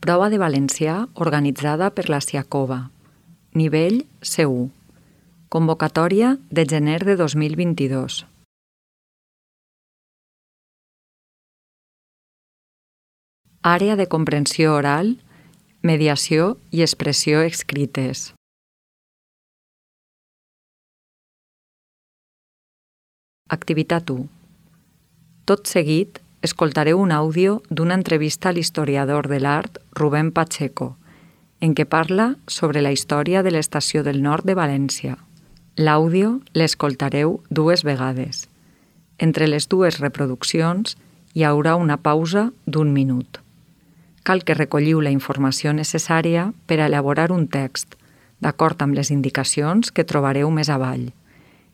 Prova de valencià organitzada per la Siacova. Nivell C1. Convocatòria de gener de 2022. Àrea de comprensió oral, mediació i expressió escrites. Activitat 1. Tot seguit, escoltareu un àudio d'una entrevista a l'historiador de l'art Rubén Pacheco, en què parla sobre la història de l'Estació del Nord de València. L'àudio l'escoltareu 2 vegades. Entre les 2 reproduccions hi haurà una pausa d'1 minut. Cal que recolliu la informació necessària per a elaborar un text, d'acord amb les indicacions que trobareu més avall,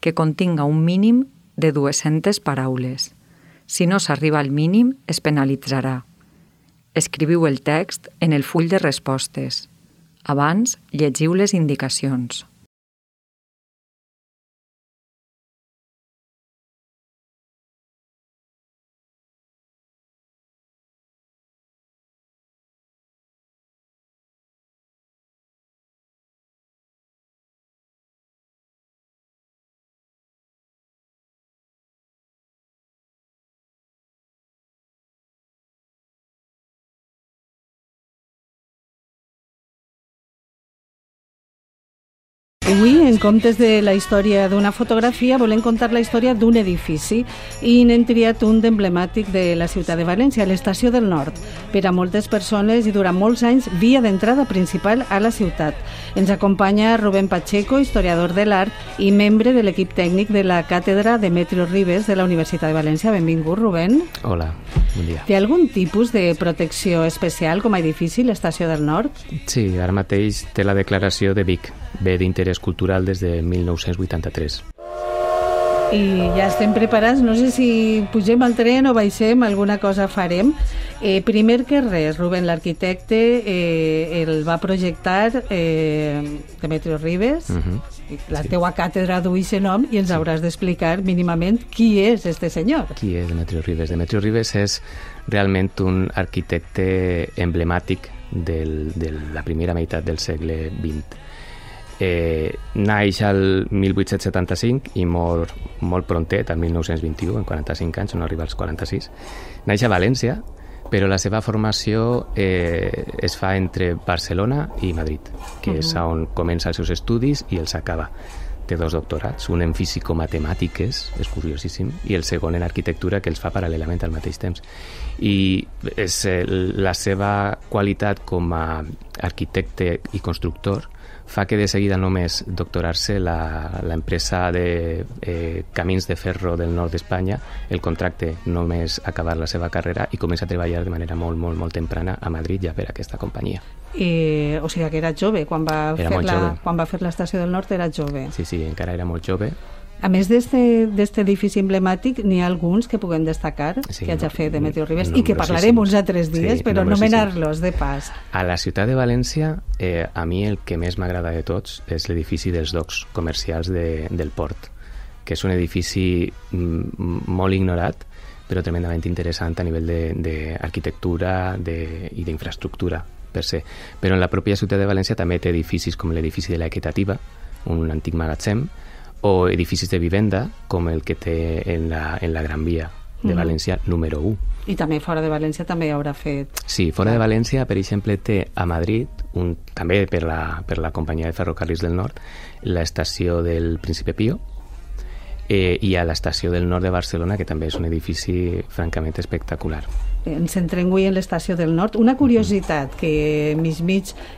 que continga un mínim de 200 paraules. Si no s'arriba al mínim, es penalitzarà. Escriviu el text en el full de respostes. Abans, llegiu les indicacions. Avui, en comptes de la història d'una fotografia, volem contar la història d'un edifici i n'hem triat un d'emblemàtic de la ciutat de València, l'Estació del Nord. Per a moltes persones i durant molts anys, via d'entrada principal a la ciutat. Ens acompanya Rubén Pacheco, historiador de l'art i membre de l'equip tècnic de la càtedra Demetrio Ribes de la Universitat de València. Benvingut, Rubén. Hola, bon dia. Té algun tipus de protecció especial com a edifici, l'Estació del Nord? Sí, ara mateix té la declaració de Vic, bé d'interès cultural des de 1983. I ja estem preparats, no sé si pugem al tren o baixem, alguna cosa farem. Primer que res, Rubén, l'arquitecte el va projectar Demetrio Ribes, la teua càtedra duix el nom i ens hauràs d'explicar mínimament qui és este senyor. Qui és Demetrio Ribes? Demetrio Ribes és realment un arquitecte emblemàtic de la primera meitat del segle XX. Naix al 1875 i mor molt prontet, al 1921, en 45 anys, no arriba als 46. Naix a València, però la seva formació es fa entre Barcelona i Madrid, que és on comença els seus estudis i els acaba. Té 2 doctorats, un en físico-matemàtiques, és curiosíssim, i el segon en arquitectura, que els fa paral·lelament al mateix temps. I la seva qualitat com a arquitecte i constructor fa que de seguida només doctorar-se l'empresa de Camins de Ferro del nord d'Espanya, el contracte només acabar la seva carrera i comença a treballar de manera molt, molt, molt temprana a Madrid ja per aquesta companyia. O sigui que era jove, quan va fer l'Estació del Nord era jove. Sí, encara era molt jove. A més d'este edifici emblemàtic, n'hi ha alguns que puguem destacar que hagi fet Demetrio Ribes i que parlarem uns altres dies, però nomenar-los de pas. A la ciutat de València, a mi el que més m'agrada de tots és l'edifici dels docks comercials del port, que és un edifici molt ignorat, però tremendament interessant a nivell d'arquitectura i d'infraestructura per se. Però en la pròpia ciutat de València també té edificis com l'edifici de l'Equitativa, un antic magatzem, o edificis de vivenda com el que té en la Gran Via de València número 1. I també fora de València també haurà fet... Sí, fora de València, per exemple, té a Madrid, també per la companyia de ferrocarrils del nord, l'estació del Príncipe Pío, i a l'estació del nord de Barcelona, que també és un edifici francament espectacular. Ens centrem avui en l'Estació del Nord. Una curiositat que mig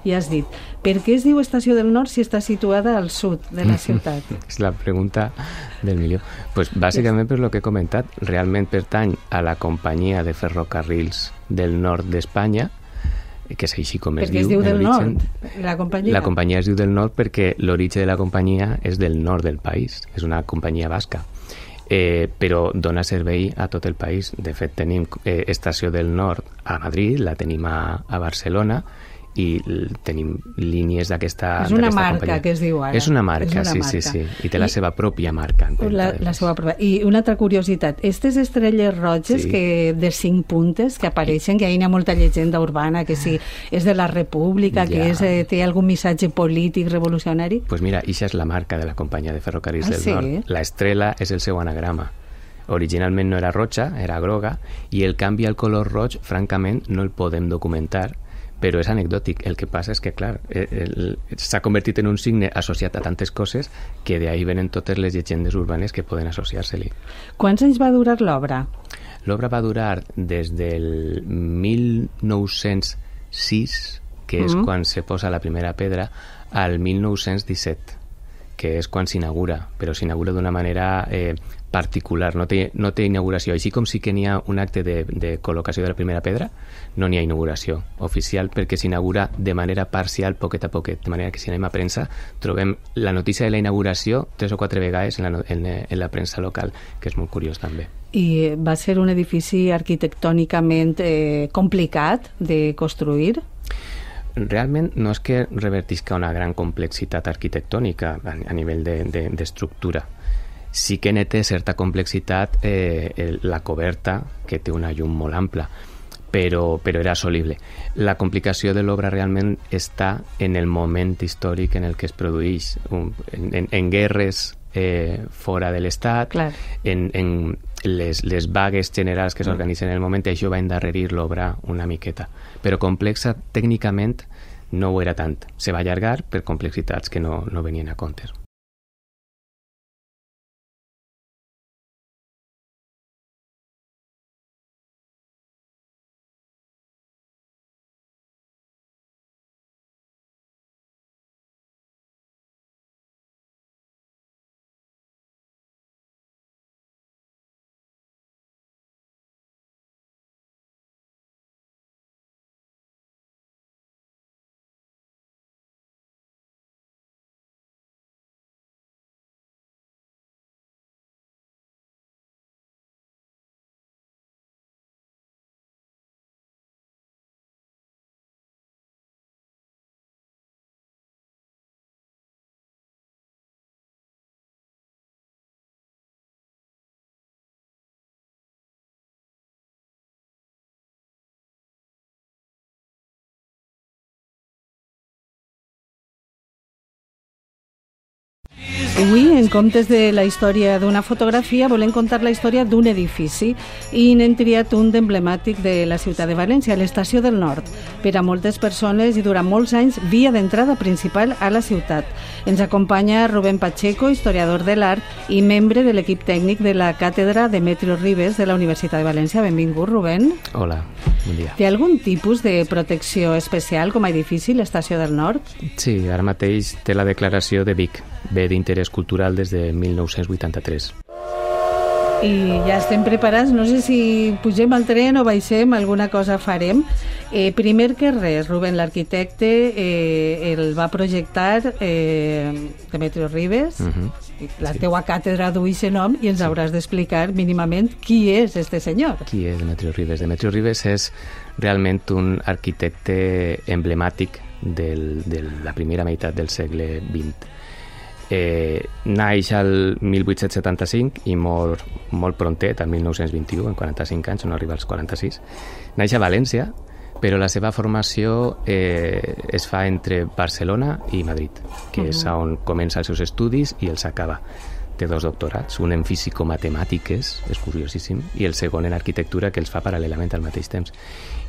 ja has dit. Per què es diu Estació del Nord si està situada al sud de la ciutat? És la pregunta del milió. Pues bàsicament per lo que he comentat, realment pertany a la companyia de ferrocarrils del nord d'Espanya, que és així com es diu. Perquè es diu del nord, la companyia? La companyia es diu del nord perquè l'origen de la companyia és del nord del país. És una companyia basca. Però dona servei a tot el país. De fet, tenim Estació del Nord a Madrid, la tenim a Barcelona i tenim línies d'aquesta... És una marca que es diu ara. És una marca, sí. I té la seva pròpia marca. La seva pròpia. I una altra curiositat, aquestes estrelles roges de 5 puntes que apareixen, que hi ha molta llegenda urbana, que si és de la República, que té algun missatge polític revolucionari. Pues mira, ixa és la marca de la companyia de ferrocarrils del Nord. La estrela és el seu anagrama. Originalment no era roja, era groga, i el canvi al color roig, francament, no el podem documentar, però és anecdòtic. El que passa és que, clar, s'ha convertit en un signe associat a tantes coses que d'ahí venen totes les llegendes urbanes que poden associar-se-li. Quants anys va durar l'obra? L'obra va durar des del 1906, que és quan se posa la primera pedra, al 1917, que és quan s'inaugura, però s'inaugura d'una manera particular, no té inauguració. Així com sí que n'hi ha un acte de col·locació de la primera pedra, no n'hi ha inauguració oficial perquè s'inaugura de manera parcial, poquet a poquet, de manera que si anem a premsa trobem la notícia de la inauguració 3 o 4 vegades en la premsa local, que és molt curiós també. I va ser un edifici arquitectònicament complicat de construir? Realment no és que revertisca una gran complexitat arquitectònica a nivell d'estructura. Sí que té certa complexitat la coberta, que té una llum molt ampla, però era assolible. La complicació de l'obra realment està en el moment històric en el que es produeix, en guerres fora de l'Estat, en les vagues generals que s'organitzen en el moment, això va endarrerir l'obra una miqueta. Però complexa tècnicament no ho era tant. Se va allargar per complexitats que no venien a compte. Avui, en comptes de la història d'una fotografia, volem contar la història d'un edifici i n'hem triat un d'emblemàtic de la ciutat de València, l'Estació del Nord. Per a moltes persones i durant molts anys, via d'entrada principal a la ciutat. Ens acompanya Rubén Pacheco, historiador de l'art i membre de l'equip tècnic de la càtedra Demetrio Ribes de la Universitat de València. Benvingut, Rubén. Hola, bon dia. Té algun tipus de protecció especial com a edifici, l'Estació del Nord? Sí, ara mateix té la declaració de Vic, bé d'interès cultural des de 1983. I ja estem preparats, no sé si pugem al tren o baixem, alguna cosa farem. Primer que res, Rubén, l'arquitecte el va projectar Demetrio Ribes, la teua càtedra duix aquest nom i ens hauràs d'explicar mínimament qui és este senyor. Qui és Demetrio Ribes? Demetrio Ribes és realment un arquitecte emblemàtic de la primera meitat del segle XX. Naix al 1875 i mor molt prontet, al 1921, en 45 anys, no arriba als 46. Naix a València, però la seva formació es fa entre Barcelona i Madrid, que és on comença els seus estudis i els acaba. Té 2 doctorats, un en físico-matemàtiques, és curiosíssim, i el segon en arquitectura, que els fa paral·lelament al mateix temps.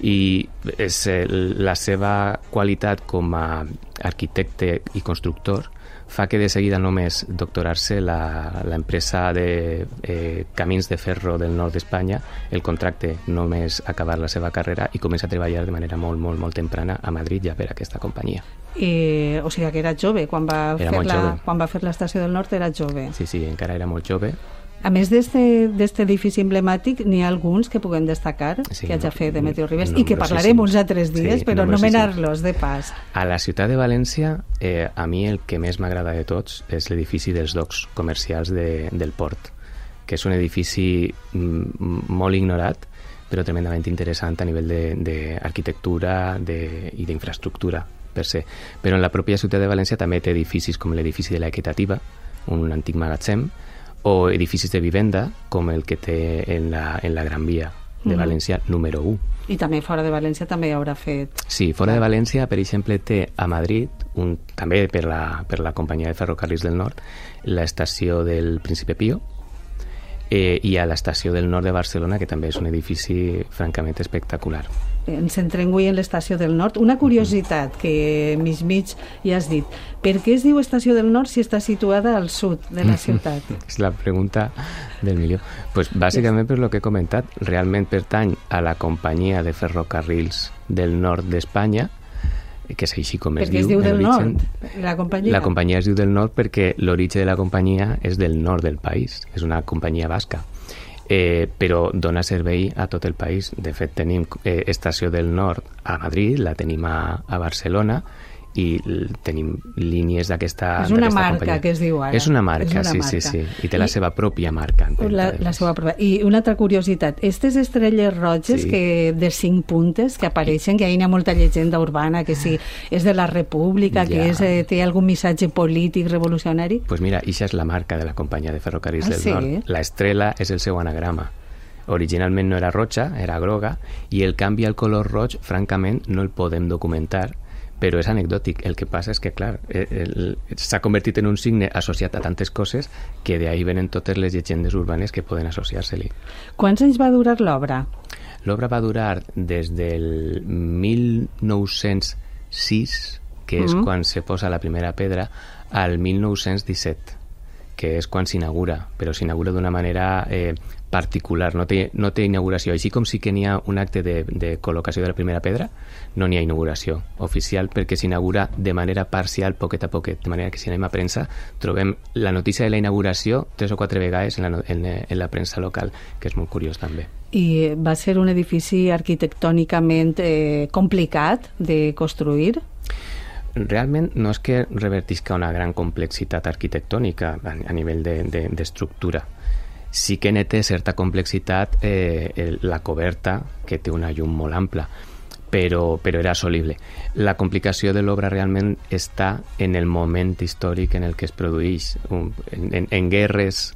I la seva qualitat com a arquitecte i constructor fa que de seguida només doctorar-se l'empresa de Camins de Ferro del nord d'Espanya el contracte només acabar la seva carrera i comença a treballar de manera molt, molt, molt temprana a Madrid ja per aquesta companyia. O sigui que era jove, quan va fer l'Estació del Nord era jove. Sí, encara era molt jove. A més d'este edifici emblemàtic, n'hi ha alguns que puguem destacar que hagi fet Demetrio Ribes i que parlarem uns altres dies, però anomenar-los de pas. A la ciutat de València, a mi el que més m'agrada de tots és l'edifici dels docks comercials del port, que és un edifici molt ignorat, però tremendament interessant a nivell d'arquitectura i d'infraestructura per se. Però en la pròpia ciutat de València també té edificis com l'edifici de l'Equitativa, un antic magatzem, o edificis de vivenda com el que té en la Gran Via de València número 1. I també fora de València també haurà fet... Sí, fora de València, per exemple, té a Madrid, també per la companyia de ferrocarrils del nord, l'estació del Príncipe Pío, i a l'estació del nord de Barcelona, que també és un edifici francament espectacular. Ens centrem avui en l'estació del nord. Una curiositat que mig ja has dit. Per què es diu estació del nord si està situada al sud de la ciutat? És la pregunta del milió. Pues bàsicament per lo que he comentat, realment pertany a la companyia de ferrocarrils del nord d'Espanya, que és així com es diu. Perquè es diu del nord, la companyia? La companyia es diu del nord perquè l'origen de la companyia és del nord del país, és una companyia basca. Però dona servei a tot el país. De fet, tenim estació del nord a Madrid, la tenim a Barcelona, i tenim línies d'aquesta És una marca companyia. que es diu ara. És una marca, sí. I té la seva pròpia marca. La seva pròpia. I una altra curiositat, aquestes estrelles roges de 5 puntes que apareixen, que hi ha molta llegenda urbana, que si és de la República, que té algun missatge polític revolucionari? Pues mira, ixa és la marca de la companyia de ferrocarrils del nord. La estrella és el seu anagrama. Originalment no era roja, era groga, i el canvi al color roig, francament, no el podem documentar, però és anecdòtic. El que passa és que, clar, s'ha convertit en un signe associat a tantes coses que d'ahí venen totes les llegendes urbanes que poden associar-se-li. Quants anys va durar l'obra? L'obra va durar des del 1906, que és quan se posa la primera pedra, al 1917, que és quan s'inaugura, però s'inaugura d'una manera particular, no té inauguració. Així com sí que n'hi ha un acte de col·locació de la primera pedra, no n'hi ha inauguració oficial perquè s'inaugura de manera parcial, poquet a poquet, de manera que si anem a premsa trobem la notícia de la inauguració 3 o 4 vegades en la premsa local, que és molt curiós també. I va ser un edifici arquitectònicament complicat de construir? Realment no és que revertisca una gran complexitat arquitectònica a nivell d'estructura. Sí que té certa complexitat la coberta, que té una llum molt ampla, però era assolible. La complicació de l'obra realment està en el moment històric en el que es produeix, en guerres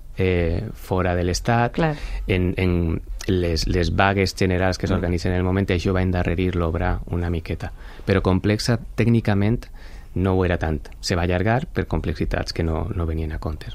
fora de l'Estat, en les vagues generals que s'organitzen en el moment, això va endarrerir l'obra una miqueta. Però complexa tècnicament no ho era tant. Se va allargar per complexitats que no venien a compte.